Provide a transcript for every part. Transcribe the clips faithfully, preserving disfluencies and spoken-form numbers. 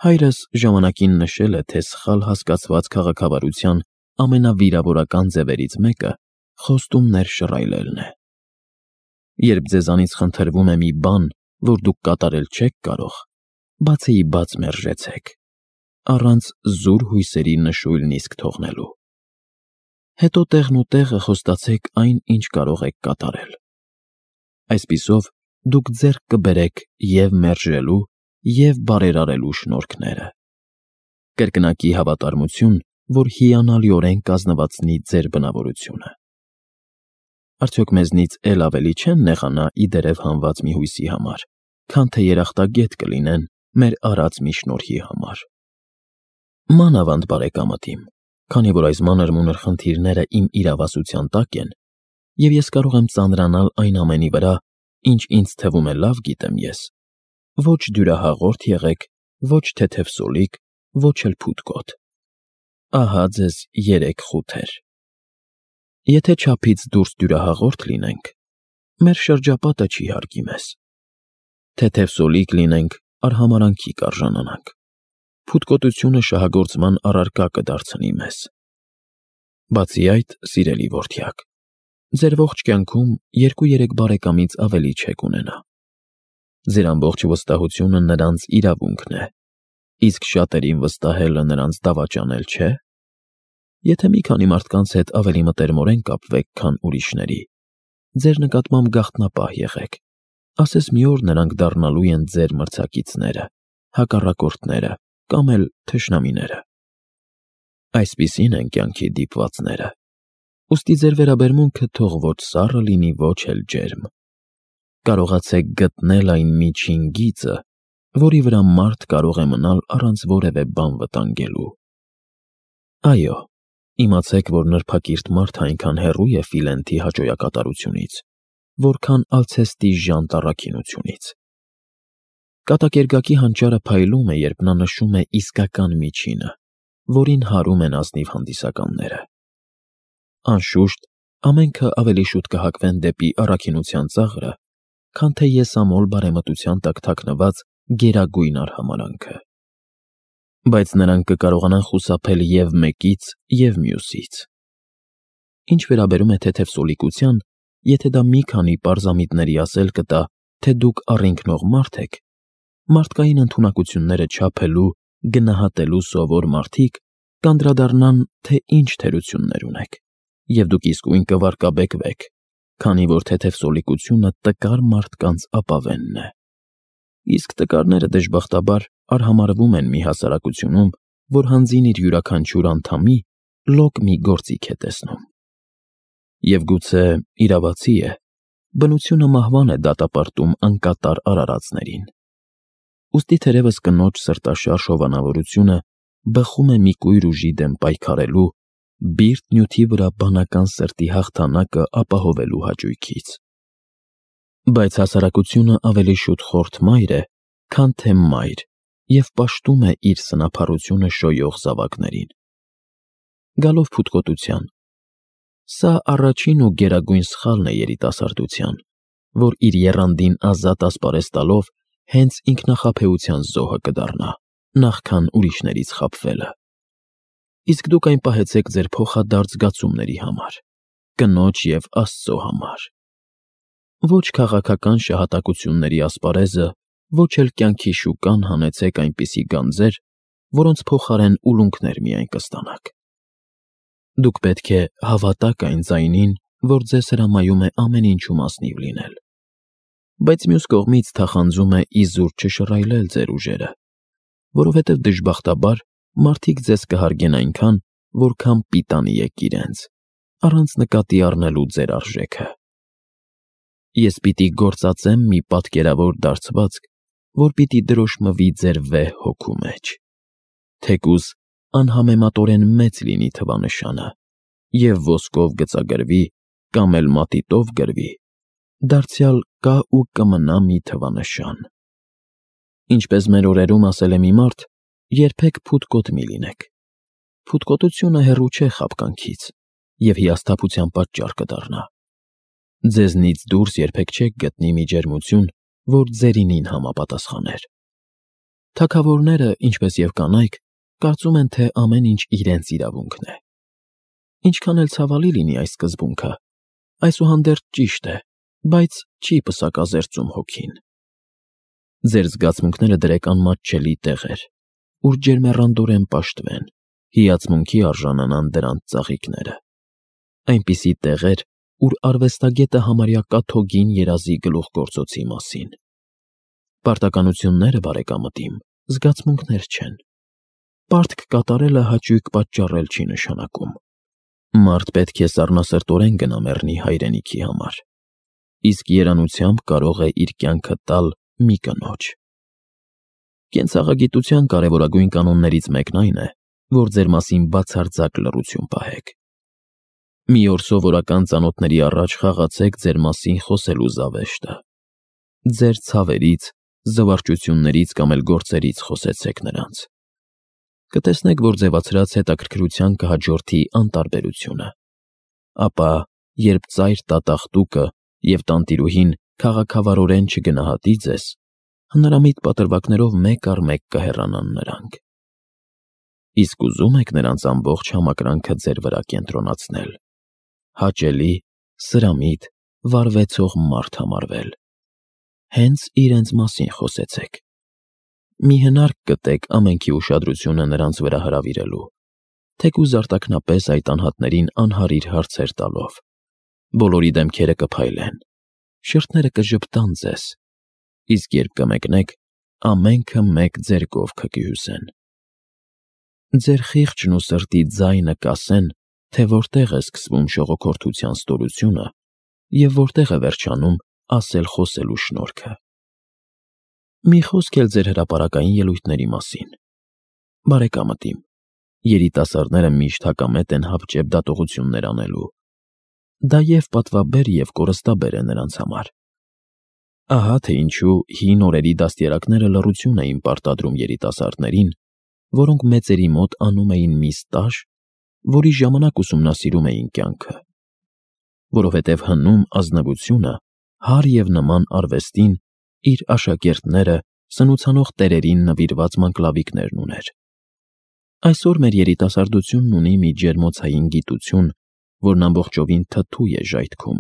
Հայրս ժամանակին նշել է, թե սխալ հասկացված քաղաքավարության ամենավիրավորական ձևերից մեկը խոստումներ շռայլելն է։ Երբ ձեզանից խնդրվում է մի բան, որ դուք կատարել չեք կարող, բացեի բաց մերժեցեք, առանց զուր հույսերի նշույլն իսկ թողնելու։ Հետո տեղն ու տեղը խոստացեք այն, ինչ կարող եք կատարել։ Այսպիսով դուք ձեռք կբերեք և մերժելու, և բարերարելու շնորհքները։ Կրկնակի հավատարմություն, որ հիանալիորեն կազմվածնի ձեր բնավորությունը։ Արդյոք մեզնից էլ ավելի չեն նեղանա ի դերև հանված մի հույսի համար, քան թե երախտագետ կլինեն մեր արած մի շնորհի համար։ Մանավանդ բարեկամատիմ, քանի որ այս մանր-մունր խնդիրները իմ իրավասության տակ են, և ես կարող եմ ծանրանալ այն ամենի վրա, ինչ ինձ թվում է լավ գիտեմ ես, ոչ դյուրահաղորդ եղեք, ոչ թեթևսոլիկ, ոչ էլ փութկոտ։ Ահա ձեզ երեք խութեր։ Եթե չափից դուրս դյուրահաղորդ լինենք, մեր շրջապատը չի հարգի մեզ։ Թեթևսոլիկ լինենք, արհամարհանքի կարժանանանք, փութկոտությունը շահագործման առարկա կդարձնի մեզ։ Բացի այդ, սիրելի որդյակ, ձեր ողջ կյանքում երկու֊երեք բարեկամից ավելի չեք ունենա։ Ձեր ամբողջ վստահությունը նրանց իրավունքն է, իսկ շատերին վստահելը նրանց դավաճանել չէ։ Եթե մի քանի մարդկանց հետ ավելի մտերմորեն կապվեք, քան ուրիշների, ձեր նկատմամբ գաղտնապահ եղեք, ասես մի օր նրանք դառնալու են ձեր մրցակիցները, հակառակորդները կամ էլ թշնամիները։ Այսպիսին են կյանքի դիպվածները, ուստի ձեր վերաբերմունքը թող ոչ սառը լինի, ոչ էլ ջերմ։ Կարողացեք գտնել այն միջին գիծը, որի վրա մարդ կարող է մնալ առանց որևէ բան վտանգելու։ Այո, իմացեք, որ նրբակիրթ մարդը այնքան հեռու է Ֆիլենթի հաճոյակատարությունից, որքան Ալցեստի ժանտ առաքինությունից։ Կատակերգակի հանճարը փայլում է, երբ նա նշում է իսկական միջինը, որին հարում են ազնիվ հանդիսականները։ Անշուշտ, ամենքը ավելի շուտ կհակվեն դեպի առաքինության ծաղրը, քան թե եսամոլ բարեմտության տակ թաքնված գերագույն արհամարհանքը։ Բայց նրանք կկարողանան խուսափել և մեկից, և մյուսից։ Ինչ վերաբերում է թեթևսոլիկության, եթե դա մի քանի պարզամիտների ասել կտա, թե դուք առինքնող մարդ եք, մարդկային ընդունակությունները չափելու, գնահատելու սովոր մարդիկ կանդրադառնան, թե ինչ թերություններ ունեք, և դուք իսկույն կվարկաբեկվեք, քանի որ թեթևսոլիկությունը տկար մարդկանց ապավենն է։ Իսկ տկարները դժբախտաբար արհամարհվում են մի հասարակությունում, որ հանձին իր յուրաքանչյուր անդամի լոկ մի գործիք է տեսնում։ Եվ գուցե իրավացի է, բնությունը մահվան է դատապարտում անկատար արարածներին։ Ուստի թերևս կնոջ սրտաշարժ հովանավորությունը բխում է մի կույր ուժի դեմ պայքարելու, բիրտ նյութի վրա բանական սրտի հաղթանակը ապահովելու հաճույքից։ Բայց հասարակությունը ավելի շուտ խորթ մայր է, քան թե մայր, և պաշտում է իր սնափառությունը շոյող զավակներին։ Գալով փութկոտության, սա առաջին ու գերագույն սխալն է երիտասարդության, որ իր եռանդին ազատ ասպարեզ տալով հենց ինքնախաբեության զոհը կդառնա, նախքան ուրիշներից խաբվելը։ Իսկ դուք այն պահեցեք ձեր փոխադարձ զգացումների համար, կնոջ և Աստծո համար։ Ոչ քաղաքական շահատակությունների ասպարեզը, ոչ էլ կյանքի շուկան հանեցեք այնպիսի գանձեր, որոնց փոխարեն ուլունքներ միայն կստանաք։ Դուք պետք է հավատաք այն ձայնին, որ ձեզ հրամայում է ամեն ինչում ազնիվ լինել, բայց մյուս կողմից թախանձում է իզուր չշռայլել ձեր ուժերը, որովհետև դժբախտաբար մարդիկ ձեզ կհարգեն այնքան, որքան պիտանի եք իրենց, առանց նկատի առնելու ձեր արժեքը։ Ես պիտի գործածեմ մի պատկերավոր դարձվածք, որ պիտի դրոշմվի ձեր վեհ հոգու մեջ, թեկուզ անհամեմատորեն մեծ լինի թվանշանը, և ոսկով գծագրվի կամ էլ մատիտով գրվի, դարձյալ կա ու կմնա մի թվանշան։ Ինչպես մեր օրերում ասել է մի մարդ, երբեք փութկոտ մի լինեք։ Փութկոտությունը հեռու չէ խաբկանքից և հիասթափության պատճառ կդառնա։ Ձեզնից դուրս երբեք չեք գտնի մի ջերմություն, որ ձերինին համապատասխաներ։ Թագավորները, ինչպես եւ կանայք, կարծում են, թե ամեն ինչ իրենց իրավունքն է։ Ինչքան էլ ցավալի լինի այս սկզբունքը, այսուհանդերձ ճիշտ է, բայց չի պսակազերծում հոգին։ Ձեր զգացմունքները դրեք անմատչելի տեղեր, ուր ջերմեռանդորեն պաշտվեն, հիացմունքի արժանանան դրանց ծաղիկները։ Այնպիսի տեղեր, ուր արվեստագետը համարյա կաթոգին երազի գլուխգործոցի մասին։ Պարտականությունները, բարեկամտիմ, զգացմունքներ չեն։ Պարտք կատարելը հաճույք պատճառել չի նշանակում։ Մարդ պետք է սառնասրտորեն գնա մեռնի հայրենիքի համար, իսկ երանությամբ կարող է իր կյանքը տալ մի կնոջ։ Կենցաղագիտության կարևորագույն կանոններից մեկն այն է, որ ձեր մասին բացարձակ լռություն պահեք։ Մի օր սովորական ծանոթների առաջ խաղացեք ձեր մասին խոսելու զավեշտը։ Ձեր ցավերից, զվարճություններից կամ էլ գործերից խոսեցեք նրանց։ Կտեսնեք, որ ձևացրած հետաքրքրության կհաջորդի անտարբերությունը։ Ապա, երբ ծայր տատախտուկը և տանտիրուհին քաղաքավարորեն չգնահատի ձեզ, հնարամիտ պատրվակներով մեկ առ մեկ կհեռանան նրանք։ Իսկ ուզում եք նրանց ամբողջ համակրանքը ձեր վրա կենտրոնացնել, հաճելի, սրամիտ, վարվեցող մարդ համարվել։ Հենց իրենց մասին խոսեցեք։ Մի հնարք գտեք ամենքի ուշադրությունը նրանց վրա հրավիրելու, թեկուզ արտաքնապես այդ անհատներին անհարիր հարցեր տալով։ Բոլորի դեմքերը կփայլեն, շրթները կժպտան ձեզ, իսկ երբ կմեկնեք, ամենքը մեկ ձեր կողքը կհյուսեն։ Ձեր խիղճն ու սրտի ձայնը կասեն, թե որտեղ է սկսվում շողոքորթության ստորությունը և որտեղ է վերջանում ասել-խոսելու շնորհքը։ Մի խոսք էլ ձեր հրապարակային ելույթների մասին։ Բարեկամտիմ, երիտասարդները միշտ հակամետ են հապճեպ դատողություններ անելու։ Դա և պատվաբեր և կորստաբեր է նրանց համար։ Ահա թե ինչու հին օրերի դաստիարակները լռություն էին պարտադրում երիտասարդներին, որոնք մեծերի մոտ անում էին մի ստաժ, որի ժամանակ ուսումնասիրում էին կյանքը։ Որովհետև հնում ազնվությունը հար և նման արվեստին իր աշակերտները սնուցանող տերերին նվիրված մանկլավիկներն ուներ։ Այսօր մեր երիտասարդությունն ունի մի ջերմոցային գիտություն, որն ամբողջովին թթու է ժայթքում,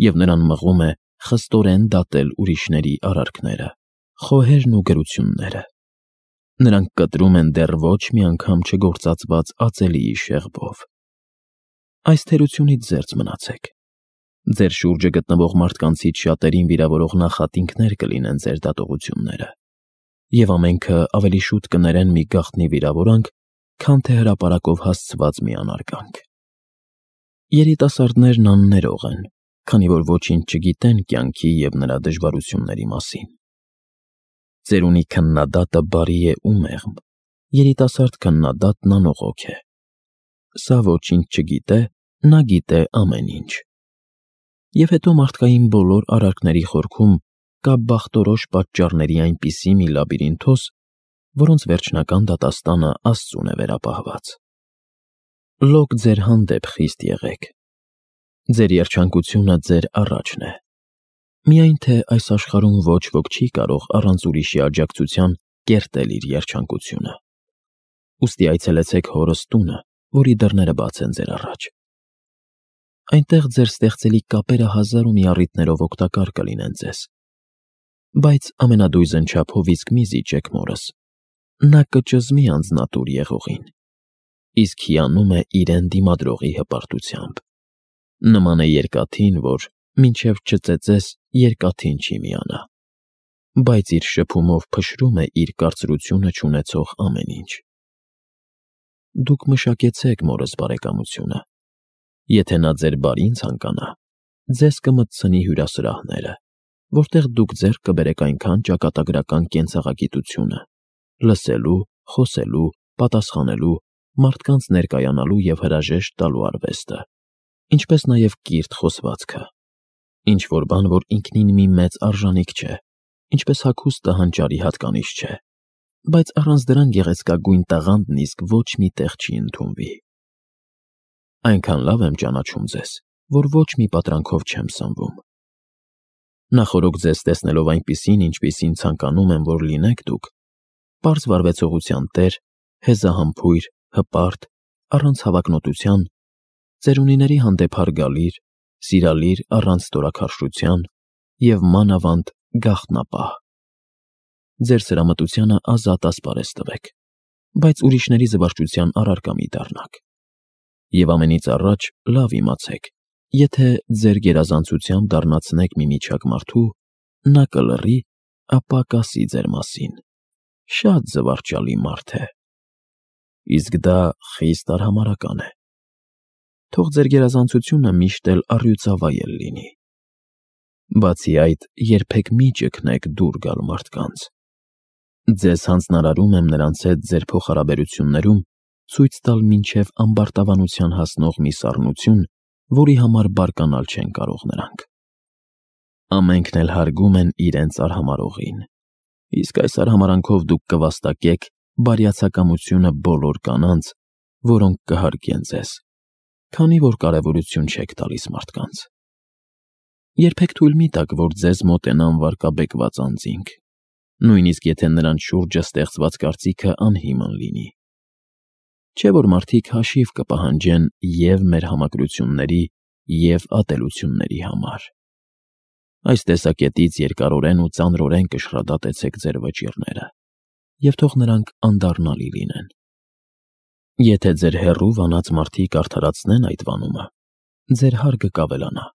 և նրան մղում է խստորեն դատել ուրիշների արարքները, խոհերն ու գրությունները։ Նրանք կտրում են դեռ ոչ մի անգամ չգործածված ածելիի շեղբով։ Այս թերությունից զերծ մնացեք։ Ձեր շուրջը գտնվող մարդկանցից շատերին վիրավորող նախատինքներ կլինեն ձեր դատողությունները, և ամենքը ավելի շուտ կներեն մի գաղտնի վիրավորանք, քան թե հրապարակով հասցված մի անարգանք։ Երիտասարդներն աններող են, քանի որ ոչինչ չգիտեն կյանքի և նրա դժվարությունների մասին։ Ծերունի քննադատը բարի է ու մեղմ, երիտասարդ քննադատն անողոք է։ Սա ոչինչ չգիտե, նա գիտե ամեն ինչ։ Եվ հետո մարդկային բոլոր արարքների խորքում կա բախտորոշ պատճառների այնպիսի մի լաբիրինթոս, որոնց վերջնական դատաստանը Աստծուն է վերապահված։ Լոկ ձեր հանդեպ խիստ եղեք։ Ձեր երջանկությունը ձեր առաջն է։ Միայն թե այս աշխարհում ոչ ոք չի կարող առանց ուրիշի աջակցության կերտել իր երջանկությունը։ Ուստի այցելեցեք հորս տունը, որի դռները բաց են ձեր առաջ։ Այնտեղ ձեր ստեղծելի կապերը հազար ու մի առիթներով օգտակար կլինեն ձեզ։ Բայց ամենադույզն չափով իսկ մի զիջեք մորս, նա կճզմի անձնատուր եղողին, իսկ հիանում է իրեն դիմադրողի հպարտությամբ։ Նման է երկաթին, որ մինչև չծեծես, երկաթին չի միանա, բայց իր շփումով փշրում է իր կարծրությունը չունեցող ամեն ինչ։ Դուք մշակեցեք մորս բարեկամությունը։ Եթե նա ձեր բարին ցանկանա, ձեզ կմտցնի հյուրասրահները, որտեղ դուք ձեռք կբերեք այնքան ճակատագրական կենցաղագիտությունը, լսելու, խոսելու, պատասխանելու, մարդկանց ներկայանալու և հրաժեշտ տալու արվեստը, ինչպես նաև կիրթ խոսվածքը, ինչ-որ բան, որ ինքնին մի մեծ արժանիք չէ, ինչպես հագուստը հանճարի հատկանիշ չէ, բայց առանց դրան գեղեցկագույն տաղանդն իսկ ոչ մի տեղ չի ընդունվի։ Այնքան լավ եմ ճանաչում ձեզ, որ ոչ մի պատրանքով չեմ սնվում։ Նախօրոք ձեզ տեսնելով այնպիսին, ինչպիսին ցանկանում եմ, որ լինեք դուք, պարզ վարվեցողության տեր, հեզահամբույր, հպարտ, առանց հավակնոտության, ծերունիների հանդեպ հարգալիր, սիրալիր առանց ստորաքարշության և մանավանդ գաղտնապահ։ Ձեր սրամտությանը ազատ ասպարեզ տվեք, բայց ուրիշների զվարճության առարկա մի դառնաք։ Եվ ամենից առաջ լավ իմացեք, եթե ձեր գերազանցությամբ դառնացնեք մի միջակ մարդու, նա կլռի, ապա կասի ձեր մասին. շատ զվարճալի մարդ է։ Իսկ դա խիստ արհամարհական է։ Թող ձեր գերազանցությունը միշտ էլ առյուծավայել լինի։ Բացի այդ, երբեք մի ճգնեք դուր գալ մարդկանց։ Ձեզ հանձնարարում եմ նրանց հետ ձեր փոխհարաբերություններում ցույց տալ մինչև ամբարտավանության հասնող մի սառնություն, որի համար բարկանալ չեն կարող նրանք։ Ամենքն էլ հարգում են իրենց արհամարհողին, իսկ այս արհամարհանքով դուք կվաստակեք բարյացակամությունը բոլոր կանանց, որոնք կհարգեն ձեզ, քանի որ կարևորություն չեք տալիս մարդկանց։ Երբեք թույլ մի տաք, որ ձեզ մոտենան վարկաբեկված անձինք, նույնիսկ եթե նրանց շուրջը ստեղծված կարծիքը անհիմն լինի։ Չէ՞ որ մարդիկ հաշիվ կպահանջեն և մեր համակրությունների, և ատելությունների համար։ Այս տեսակետից երկարորեն ու ծանրորեն կշռադատեցեք ձեր վճիռները, և թող նրանք անդառնալի լինեն։ Եթե ձեր հեռու վանած մարդիկ արդարացնեն այդ վանումը, ձեր հարգը կավելանա։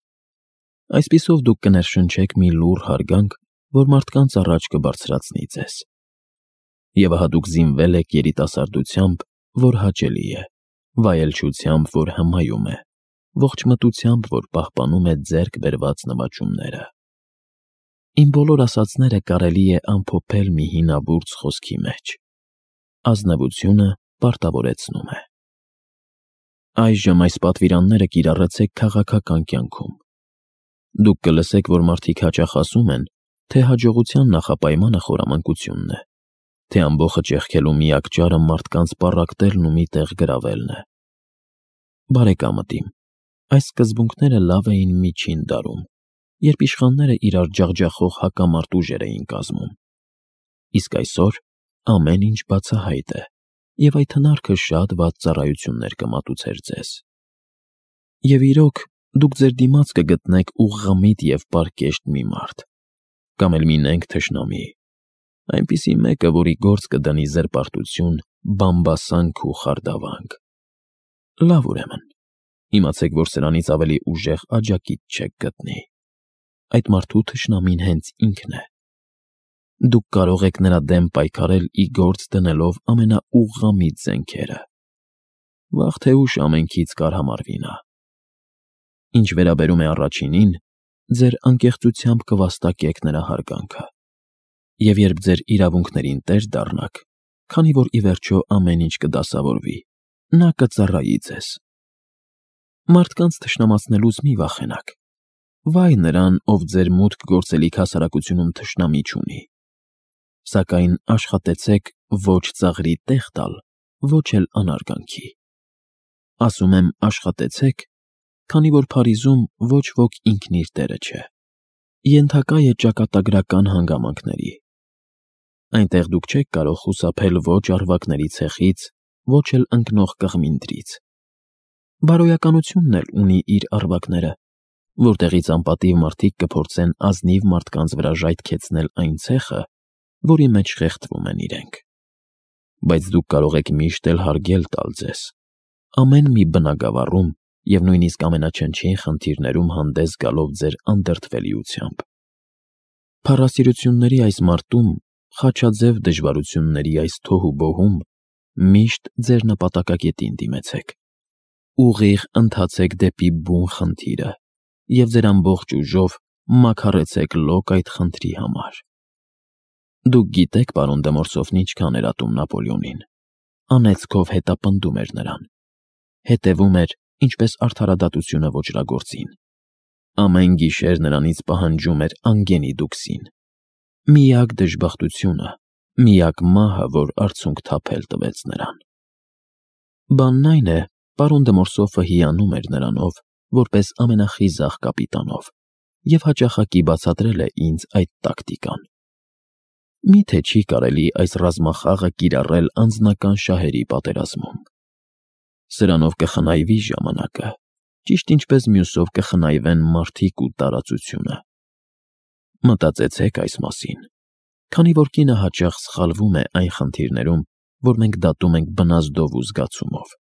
Այսպիսով դուք կներշնչեք մի լուռ հարգանք, որ մարդկանց առաջ կբարձրացնի ձեզ։ Եվ ահա դուք զինվել եք երիտասարդությամբ, որ հաճելի է, վայելչությամբ, որ հմայում է, ողջմտությամբ, որ պահպանում է ձեռք բերված նվաճումները։ Իմ բոլոր ասածները կարելի է ամփոփել մի հինավուրց խոսքի մեջ. ազնվությունը պարտավորեցնում է։ Այժմ այս պատվիրանները կիրառեցեք քաղաքական կյանքում։ Դուք կլսեք, որ մարդիկ հաճախ ասում են, թե հաջողության նախապայմանը խորամանկությունն է, թե ամբոխը ճեղքելու միակ ճարը մարդկանց պառակտելն ու մի տեղ գրավելն է։ Բարեկամդ իմ, այս սկզբունքները լավ էին միջին դարում, երբ իշխանները իրար ջախջախող հակամարտ ուժեր էին կազմում։ Իսկ այսօր ամեն ինչ բացահայտ է, և այդ հնարքը շատ վատ ծառայություններ կմատուցեր ձեզ։ Եվ իրոք, դուք ձեր դիմաց կգտնեք ուղղամիտ և պարկեշտ մի մարդ, կամ էլ մի նենգ թշնամի, այնպիսի մեկը, որի գործ կդնի զրպարտություն, բամբասանք ու խարդավանք։ Լավ, ուրեմն, իմացեք, որ սրանից ավելի ուժեղ աջակից չեք գտնի։ Այդ մարդու թշնամին հենց ինքն է։ Դուք կարող եք նրա դեմ պայքարել ի գործ դնելով ամենաուղղամիտ զենքերը։ Վաղ թե ուշ ամենքից կարհամարվի նա։ Ինչ վերաբերում է առաջինին, ձեր անկեղծությամբ կվաստակեք նրա հարգանքը։ Եվ երբ ձեր իրավունքներին տեր դառնաք, քանի որ ի վերջո ամեն ինչ կդասավորվի, նա կծառայի ձեզ։ Մարդկանց թշնամացնելուց մի վախենաք։ Վայ նրան, ով ձեր մուտք գործելիք հասարակությունում թշնամի չունի։ Սակայն աշխատեցեք ոչ ծաղրի տեղ տալ, ոչ էլ անարգանքի։ Ասում եմ աշխատեցեք, քանի որ Փարիզում ոչ ոք ինքն իր տերը չէ, ենթակա է ճակատագրական հանգամանքների։ Այնտեղ դուք չեք կարող խուսափել ոչ առվակների ցեխից, ոչ էլ ընկնող կղմինդրից։ Բարոյականությունն էլ ունի իր առվակները, որտեղից անպատիվ մարդիկ կփորձեն ազնիվ մարդկանց վրա ժայթքեցնել այն ցեխը, որի մեջ խեղդվում են իրենք։ Բայց դուք կարող եք միշտ էլ հարգել տալ ձեզ, ամեն մի բնագավառում և նույնիսկ ամենաչնչին խնդիրներում հանդես գալով ձեր անդրդվելիությամբ։ Փառասիրությունների այս մարտում, խաչաձև դժվարությունների այս թոհուբոհում միշտ ձեր նպատակակետին դիմեցեք։ Ուղիղ ընթացեք դեպի բուն խնդիրը և ձեր ամբողջ ուժով մաքարեցեք լոկ այդ խնդրի համար։ Դուք գիտեք պարոն դե Մորսոֆն ինչքան էր ատում Նապոլեոնին։ Անեծքով հետապնդում էր նրան։ Հետևում էր, ինչպես արդարադատությունը ոճրագործին։ Ամեն գիշեր նրանից պահանջում էր անգենի դուքսին։ Միակ դժբախտությունը, միակ մահը, որ արցունք թափել տվեց նրան։ Բանն այն է, պարոն դե Մորսոֆը հիանում էր նրանով, որպես ամենախիզախ կապիտանով, և հաճախակի բացատրել է ինձ այդ տակտիկան։ Միթե չի կարելի այս ռազմախաղը կիրառել անձնական շահերի պատերազմում։ Սրանով կխնայվի ժամանակը, ճիշտ ինչպես մյուսով կխնայվեն մարդիկ ու տարածությունը։ Մտածեցեք այս մասին, քանի որ կինը հաճախ սխալվում է այն խնդիրներում, որ մենք դատում ենք բնազդով ու զգացումով։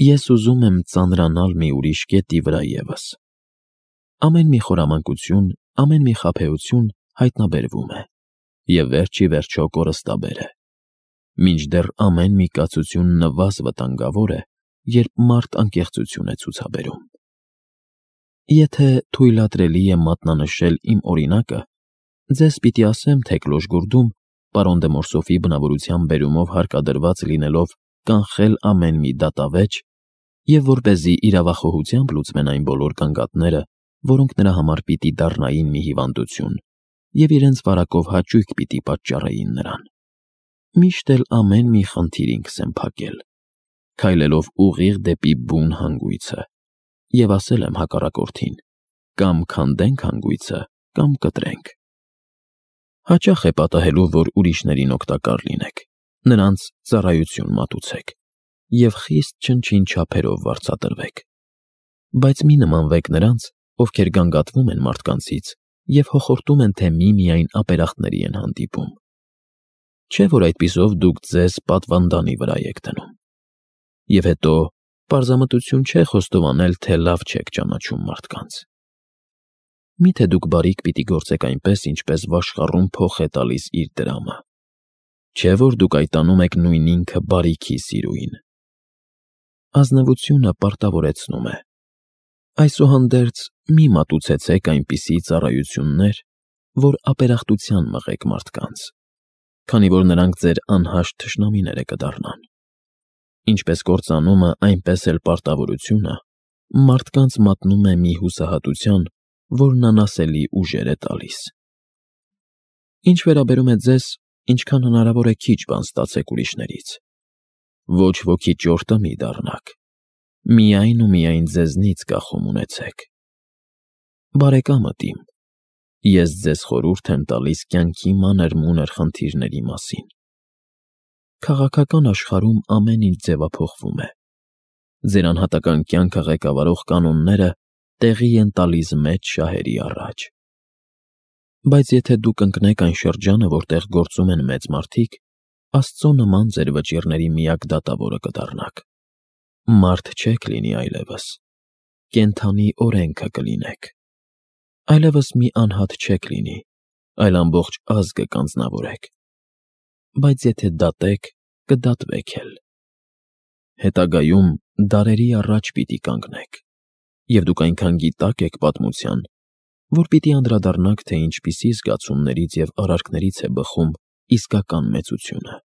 Ես ուզում եմ ծանրանալ մի ուրիշ կետի վրա ևս։ Ամեն մի խորամանկություն, ամեն մի խաբեություն հայտնաբերվում է և վերջ ի վերջո կորստաբեր է, մինչդեռ ամեն մի կացություն նվազ վտանգավոր է, երբ մարդ անկեղծություն է ցուցաբերում։ Եթե թույլատրելի է մատնանշել իմ օրինակը, ձեզ պիտի ասեմ թեկլոշ գուրդում, պարոն դե Մորսոֆի բնավորության բերումով հարկադրված լինելով կանխել ամեն մի դատավեճ և որպեսզի իրավախոհությամբ լուծվեն այն բոլոր գանգատները, որոնք նրա համար պիտի դառնային մի հիվանդություն և իրենց վարակով հաճույք պիտի պատճառեին նրան։ Միշտ էլ ամեն մի խնդիր ինքս եմ փակել, քայլելով ուղիղ դեպի բուն հանգույցը, և ասել եմ հակառակորդին. կամ քանդենք հանգույցը, կամ կտրենք։ Հաճախ է պատահելու, որ ուրիշներին օգտակար լինեք, նրանց ծառայություն մատուցեք և խիստ չնչին չափերով վարձատրվեք։ Բայց մի նմանվեք նրանց, ովքեր գանգատվում են մարդկանցից և հոխորտում են, թե միմիայն ապերախտների են հանդիպում։ Չէ՞ որ այդպիսով դուք ձեզ պատվանդանի վրա եք դնում։ Եվ հետո պարզամտություն չէ խոստովանել, թե լավ չեք ճանաչում մարդկանց։ Մի՞թե դուք բարիք պիտի գործեք այնպես, ինչպես վաշխառուն փոխ է տալիս իր դրամը։ Չէ՞ որ դուք այդ անում եք նույն ինքը բարիքի սիրուին։ Ազնվությունը պարտավորեցնում է։ Այսուհանդերձ մի մատուցեցեք այնպիսի ծառայություններ, որ ապերախտության մղեք մարդկանց, քանի որ նրանք ձեր անհաշտ թշնամիները կդառնան։ Ինչպես կործանումը, այնպես էլ պարտավորությունը մարդկանց մատնում է մի հուսահատության, որն անասելի ուժեր է տալիս։ Ինչ վերաբերում է ձեզ, ինչքան հնարավոր է քիչ բան ստացեք ուրիշներից։ Ոչ ոքի ճորտը մի դառնաք, միայն ու միայն ձեզնից կախում ունեցեք։ Բարեկամդ իմ, ես ձեզ խորհուրդ եմ տալիս կյանքի մանր-մունր խնդիրների մասին։ Քաղաքական աշխարհում ամեն ինչ ձևափոխվում է։ Ձեր անհատական կյանքը ղեկավարող կանոնները տեղի են տալիս մեծ շահերի առաջ։ Բայց եթե դուք ընկնեք այն շրջանը, որտեղ գործում են մեծ մարդիկ, Աստծո նման ձեր վճիռների միակ դատավորը կդառնաք։ Մարդ չեք լինի այլևս, կենդանի օրենքը կլինեք։ Այլևս մի անհատ չեք լինի, այլ ամբողջ ազգը կանձնավորեք։ Բայց եթե դատեք, կդատվեք էլ։ Հետագայում դարերի առաջ պիտի կանգնեք, և դուք այնքան գիտակ եք պատմության, որ պիտի անդրադառնաք, թե ինչպիսի զգացումներից և արարքներից է բխում իսկական մեծությունը։